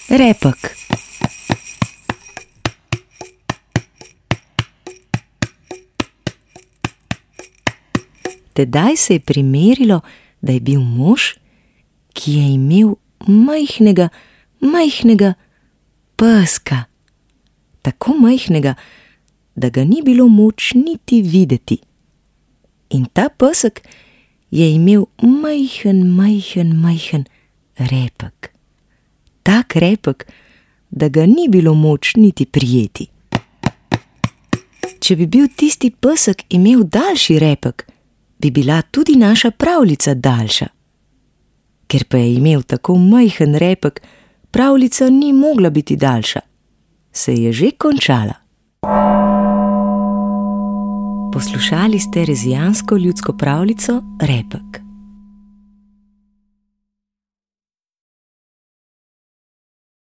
Repek. Tedaj se je primerilo, da je bil mož, ki je imel majhnega peska. Tako majhnega, da ga ni bilo moč niti videti. In ta pesek je imel majhen repek. Tak repek, da ga ni bilo moč niti prijeti. Če bi bil tisti pesek imel daljši repek, bi bila tudi naša pravljica daljša. Ker pa je imel tako majhen repek, pravljica ni mogla biti daljša. Se je že končala. Poslušali ste rezijansko ljudsko pravljico Repek.